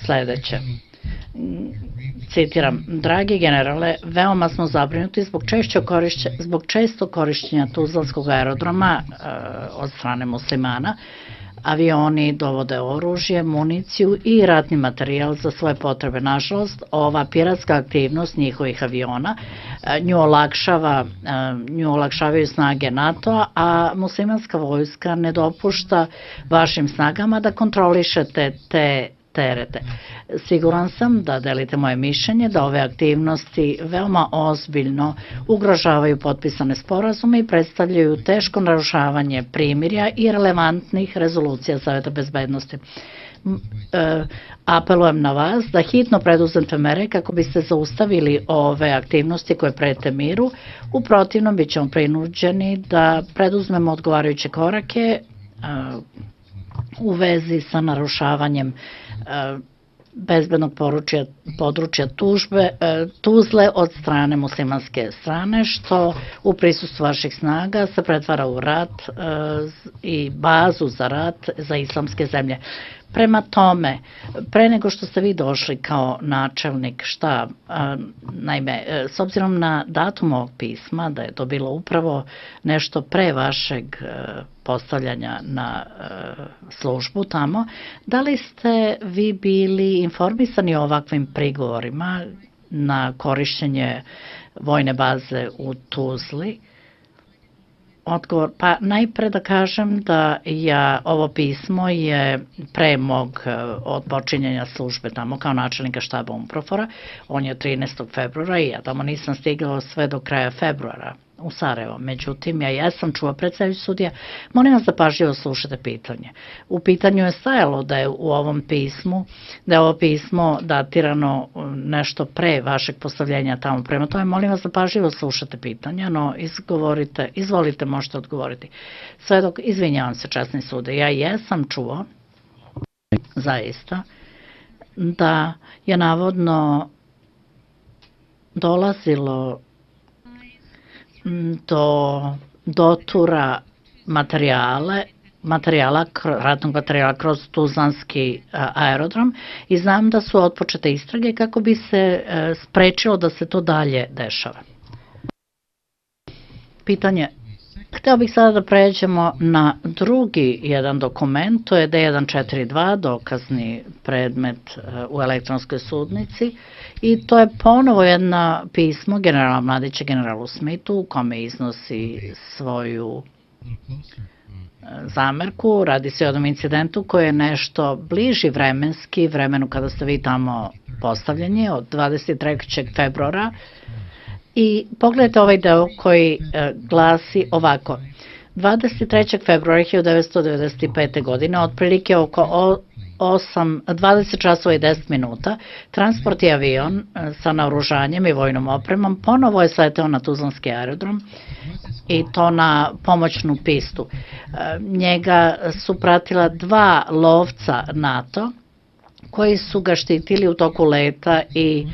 sledeće. Citiram, dragi generale, veoma smo zabrinuti zbog često korišćenja Tuzlanskog aerodroma od strane muslimana. Avioni dovode oružje, municiju i ratni materijal za svoje potrebe. Nažalost, ova piratska aktivnost njihovih aviona nju olakšavaju snage NATO-a, a muslimanska vojska ne dopušta vašim snagama da kontrolišete te terete. Siguran sam da delite moje mišljenje da ove aktivnosti veoma ozbiljno ugrožavaju potpisane sporazume i predstavljaju teško narušavanje primirja i relevantnih rezolucija Saveta bezbednosti. Apelujem na vas da hitno preduzmete mere kako biste zaustavili ove aktivnosti koje prete miru. U protivnom bit ćemo prinuđeni da preduzmemo odgovarajuće korake u vezi sa narušavanjem bezbednog područja Tuzle od strane muslimanske strane, što u prisustvu vaših snaga se pretvara u rat i bazu za rat za islamske zemlje. Prema tome, pre nego što ste vi došli kao načelnik štaba, naime, s obzirom na datum ovog pisma, da je to bilo upravo nešto pre vašeg postavljanja na službu tamo, da li ste vi bili informisani o ovakvim prigovorima na korišćenje vojne baze u Tuzli? Odgovor, pa najpre da kažem da ovo pismo je pre mog odpočinjenja službe tamo kao načelnika štaba UNPROFOR-a, on je 13. februara i ja tamo nisam stigao sve do kraja februara u Sarajevo. Međutim, ja jesam čuo predsedavajući sudija, molim vas da pažljivo slušate pitanje. U pitanju je stajalo da je u ovom pismu, da je ovo pismo datirano nešto pre vašeg postavljenja tamo. Prema tome, molim vas da pažljivo slušate pitanja, no izvolite, možete odgovoriti. Sve dok, izvinjavam se, časni sude, ja jesam čuo, zaista, da je navodno dolazilo do dotura ratnog materijala kroz Tuzlanski aerodrom i znam da su otpočete istrage kako bi se sprečilo da se to dalje dešava. Pitanje. Hteo bih sada da pređemo na drugi jedan dokument, to je D142, dokazni predmet u elektronskoj sudnici, i to je ponovo jedno pismo generala Mladića generalu Smithu u kome iznosi svoju zamerku. Radi se o jednom incidentu koji je nešto bliži vremenski vremenu kada ste vi tamo postavljeni, od 23. februara. I pogledajte ovaj deo koji glasi ovako. 23. februara 1995. godine, otprilike oko 20 časova i 10 minuta, transportni avion sa naoružanjem i vojnom opremom ponovo je sleteo na Tuzlanski aerodrom i to na pomoćnu pistu. Njega su pratila dva lovca NATO koji su ga štitili u toku leta i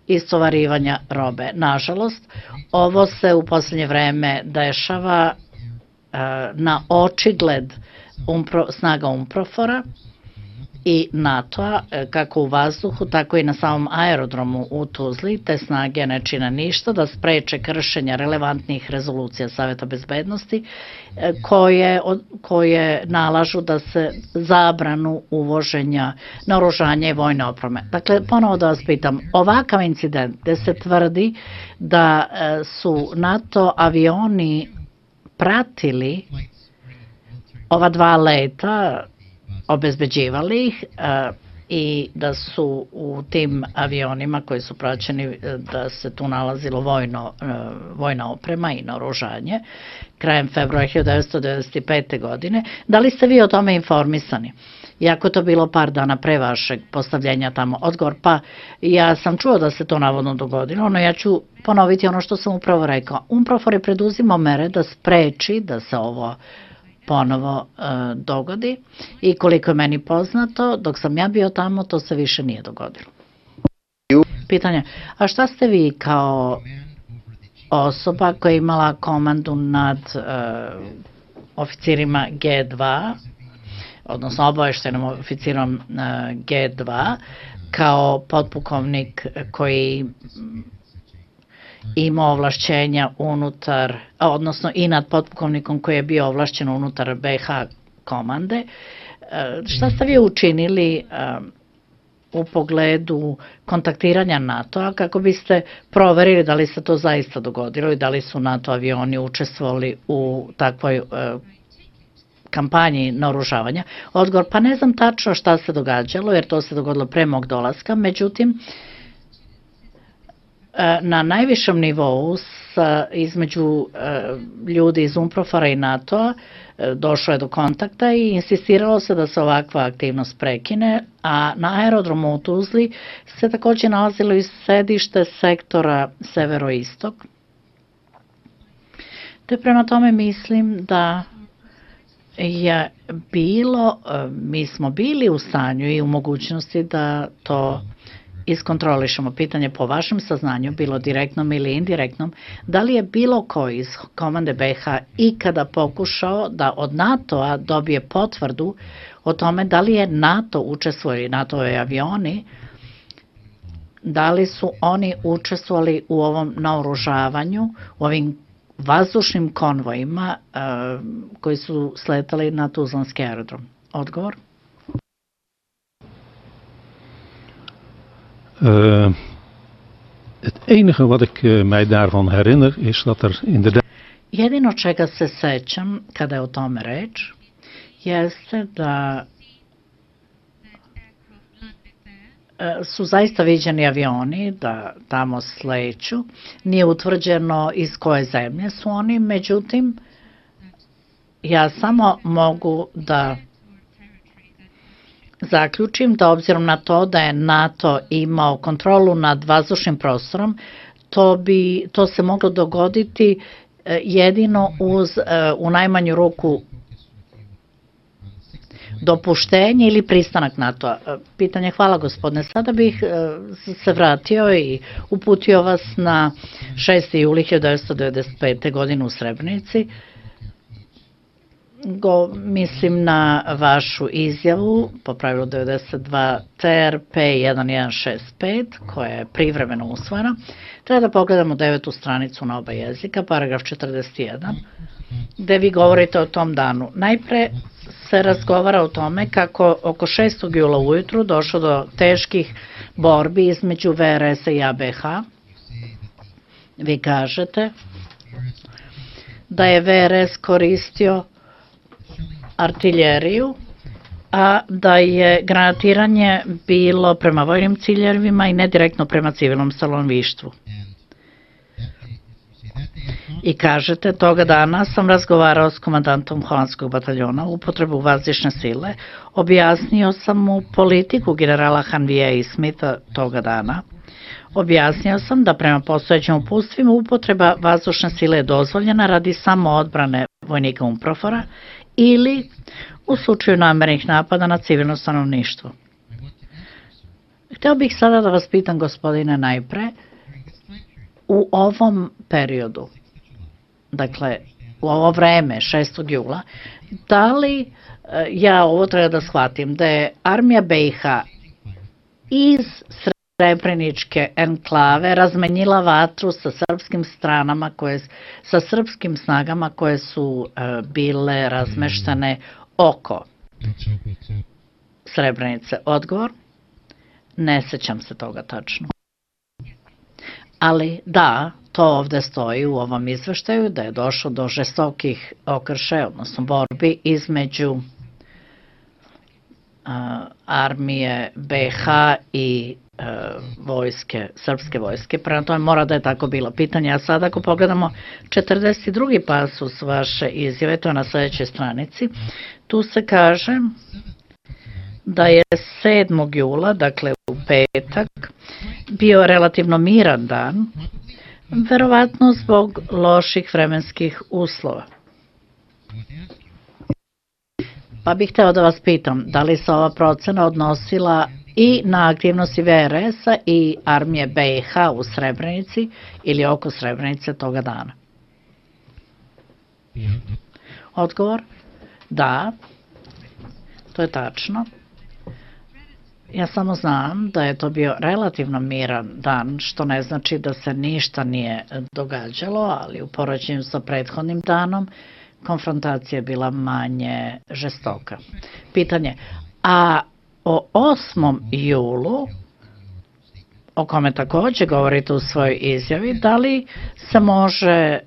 istovarivanja robe. Nažalost, ovo se u poslednje vreme dešava na očigled snaga UNPROFOR-a i NATO-a, kako u vazduhu, tako i na samom aerodromu u Tuzli. Te snage ne čine ništa da spreče kršenja relevantnih rezolucija Saveta bezbednosti koje nalažu da se zabranu uvoženja naoružanja i vojne opreme. Dakle, ponovo da vas pitam, ovakav incident gde se tvrdi da su NATO avioni pratili ova dva leta, obezbeđivali ih i da su u tim avionima koji su praćeni da se tu nalazilo vojna oprema i naoružanje krajem februara 1995. godine. Da li ste vi o tome informisani? Iako je to bilo par dana pre vašeg postavljenja tamo. Odgovor, pa ja sam čuo da se to navodno dogodilo, no ja ću ponoviti ono što sam upravo rekao. UNPROFOR je preduzimao mere da spreči da se ovo ponovo dogodi i koliko je meni poznato, dok sam ja bio tamo, to se više nije dogodilo. Pitanje, a šta ste vi kao osoba koja je imala komandu nad oficirima G2, odnosno obaveštajnom oficirom G2, kao potpukovnik koji ima ovlašćenja unutar, odnosno i nad potpukovnikom koji je bio ovlašćen unutar BiH komande. Šta ste vi učinili u pogledu kontaktiranja NATO-a kako biste proverili da li se to zaista dogodilo i da li su NATO avioni učestvovali u takvoj kampanji naoružavanja? Odgovor, pa ne znam tačno šta se događalo, jer to se dogodilo pre mog dolaska, međutim, na najvišem nivou između ljudi iz UNPROFOR-a i NATO-a došlo je do kontakta i insistiralo se da se ovakva aktivnost prekine, a na aerodromu u Tuzli se takođe nalazilo i sedište sektora severoistok. Te prema tome mislim da je bilo, mi smo bili u stanju i u mogućnosti da to iskontrolišemo. Pitanje po vašem saznanju, bilo direktnom ili indirektnom, da li je bilo ko iz komande BiH ikada pokušao da od NATO-a dobije potvrdu o tome da li je NATO učestvovali, NATO-ve avioni, da li su oni učestvovali u ovom naoružavanju, u ovim vazdušnim konvojima koji su sletali na Tuzlanski aerodrom? Odgovor? Het enige wat ik mij daarvan herinner is dat er inderdaad... Jedino čega se sećam kada je o tome reč jeste da su zaista viđeni avioni da tamo sleću. Nije utvrđeno iz koje zemlje su oni, međutim, ja samo mogu da zaključim da obzirom na to da je NATO imao kontrolu nad vazdušnim prostorom, to se moglo dogoditi jedino uz u najmanju ruku dopuštenje ili pristanak NATO-a. Pitanje, hvala gospodine. Sada bih se vratio i uputio vas na 6. juli 1995. godine u Srebrenici. Mislim na vašu izjavu po pravilu 92 TRP 1165 koja je privremeno usvojena. Treba da pogledamo 9. stranicu na oba jezika, paragraf 41, gde vi govorite o tom danu. Najpre se razgovara o tome kako oko 6. jula ujutru došlo do teških borbi između VRS-a i ABH. Vi kažete da je VRS koristio artiljeriju, a da je granatiranje bilo prema vojnim ciljevima i ne direktno prema civilnom stanovništvu. I kažete, toga dana sam razgovarao s komandantom holandskog bataljona u upotrebu vazdušne sile, objasnio sam mu politiku generala Hanvija i Smitha toga dana. Objasnio sam da prema postojećim uputstvima upotreba vazdušne sile je dozvoljena radi samo odbrane vojnika UNPROFOR-a ili u slučaju namernih napada na civilno stanovništvo. Hteo bih sada da vas pitam, gospodine, najpre, u ovom periodu, dakle, u ovo vreme, 6. jula, da li ja ovo treba da shvatim, da je armija BiH iz Srebreničke enklave razmenjila vatru sa srpskim stranama, sa srpskim snagama koje su bile razmeštene oko Srebrenice? Odgovor? Ne sećam se toga tačno. Ali da, to ovde stoji u ovom izveštaju, da je došlo do žestokih okršaja, odnosno borbi između armije BiH i vojske, srpske vojske. Prema tome mora da je tako bilo. Pitanje, a sada ako pogledamo 42. pasus vaše izjave, to je na sledećoj stranici, tu se kaže da je 7. jula, dakle u petak, bio relativno miran dan, verovatno zbog loših vremenskih uslova. Pa bih hteo da vas pitam, da li se ova procena odnosila i na aktivnosti VRS-a i armije BiH u Srebrenici ili oko Srebrenice toga dana? Odgovor? Da. to je tačno. Ja samo znam da je to bio relativno miran dan, što ne znači da se ništa nije događalo, ali u poređenju sa prethodnim danom konfrontacija je bila manje žestoka. Pitanje, a o 8. julu, o kome takođe govorite u svojoj izjavi, da li se može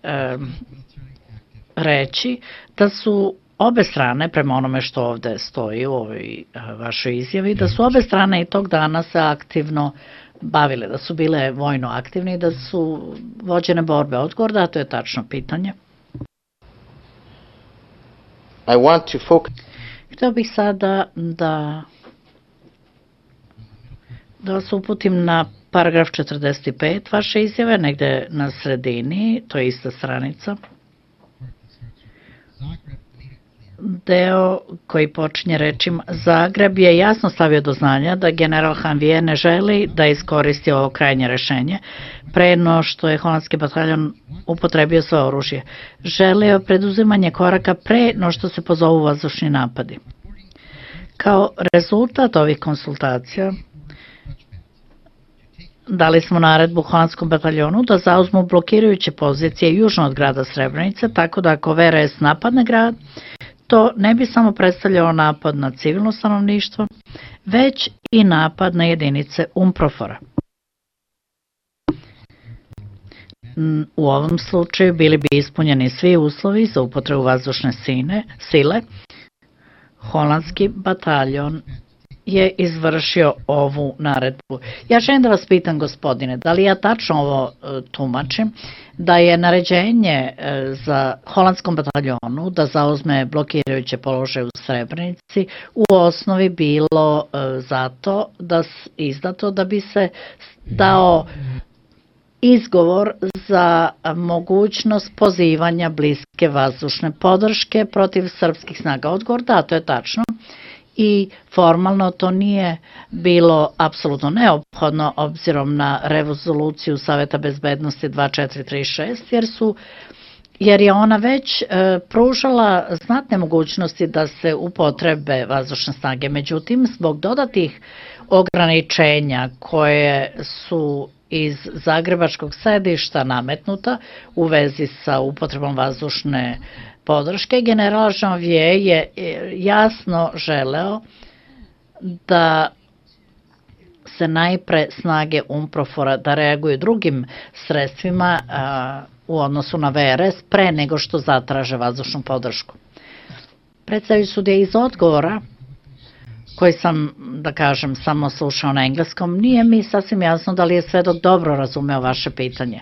reći da su obe strane, prema onome što ovde stoji u ovoj vašoj izjavi, da su obe strane i tog dana se aktivno bavile, da su bile vojno aktivni i da su vođene borbe? Odgovor da, to je tačno pitanje. Hteo bih sada da vas uputim na paragraf 45 vaše izjave, negde na sredini, to je ista stranica. Deo koji počinje rečima Zagreb je jasno stavio do znanja da general Janvier ne želi da iskoristi ovo krajnje rešenje pre no što je holandski bataljon upotrebio svoje oružje. Želeo preduzimanje koraka pre no što se pozovu vazdušni napadi. Kao rezultat ovih konsultacija dali smo naredbu holandskom bataljonu da zauzmu blokirajuće pozicije južno od grada Srebrenice, tako da ako VRS napadne grad, to ne bi samo predstavljalo napad na civilno stanovništvo, već i napad na jedinice UNPROFOR-a. U ovom slučaju bili bi ispunjeni svi uslovi za upotrebu vazdušne sile. Holandski bataljon je izvršio ovu naredbu. Ja želim da vas pitam, gospodine, da li ja tačno ovo tumačim, da je naređenje za holandskom bataljonu da zauzme blokirajuće položaje u Srebrenici u osnovi bilo izdato da bi se dao izgovor za mogućnost pozivanja bliske vazdušne podrške protiv srpskih snaga? Odgovor da, to je tačno. I formalno to nije bilo apsolutno neophodno obzirom na rezoluciju Saveta bezbednosti 2436 jer je ona već pružala znatne mogućnosti da se upotrebe vazdušne snage. Međutim, zbog dodatih ograničenja koje su iz zagrebačkog sedišta nametnuta u vezi sa upotrebom vazdušne podrške, general Janvier je jasno želeo da se najpre snage UNPROFOR-a da reaguju drugim sredstvima u odnosu na VRS pre nego što zatraže vazdušnu podršku. Predstavljajući sudija iz odgovora, koji sam, da kažem, samo slušao na engleskom, nije mi sasvim jasno da li je svedok dobro razumeo vaše pitanje.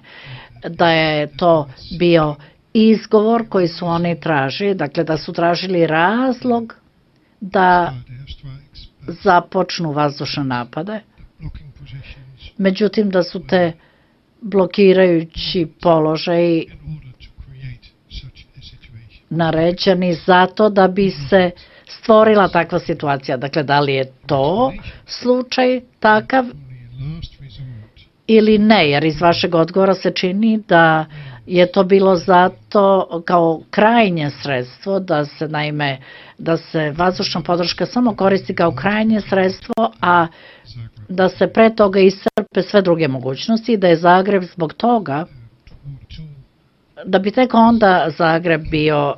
Da je to bio izgovor koji su oni tražili, dakle da su tražili razlog da započnu vazdušne napade, međutim da su te blokirajući položaji naređeni zato da bi se stvorila takva situacija. Dakle, da li je to slučaj takav ili ne, jer iz vašeg odgovora se čini da je to bilo zato kao krajnje sredstvo da se vazdušna podrška samo koristi kao krajnje sredstvo, a da se pre toga iscrpe sve druge mogućnosti i da je Zagreb zbog toga, da bi tek onda Zagreb bio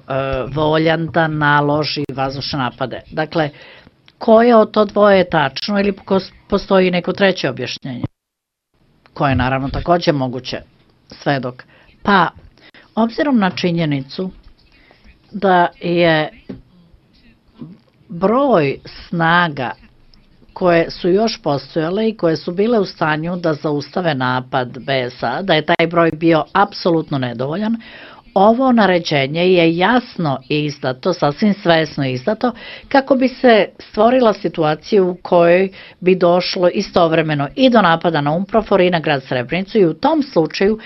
voljan da naloži vazdušne napade. Dakle, koje od to dvoje je tačno ili postoji neko treće objašnjenje? Koje je naravno takođe moguće, svedok. Pa, obzirom na činjenicu da je broj snaga koje su još postojale i koje su bile u stanju da zaustave napad BSA, da je taj broj bio apsolutno nedovoljan, ovo naređenje je jasno izdato, sasvim svesno izdato, kako bi se stvorila situacija u kojoj bi došlo istovremeno i do napada na UNPROFOR i na grad Srebrenicu i u tom slučaju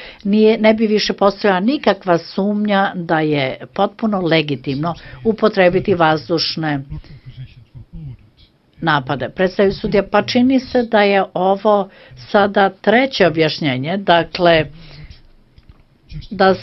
ne bi više postojala nikakva sumnja da je potpuno legitimno upotrebiti vazdušne napade. Predstavlja sudija, pa čini se da je ovo sada treće objašnjenje, dakle da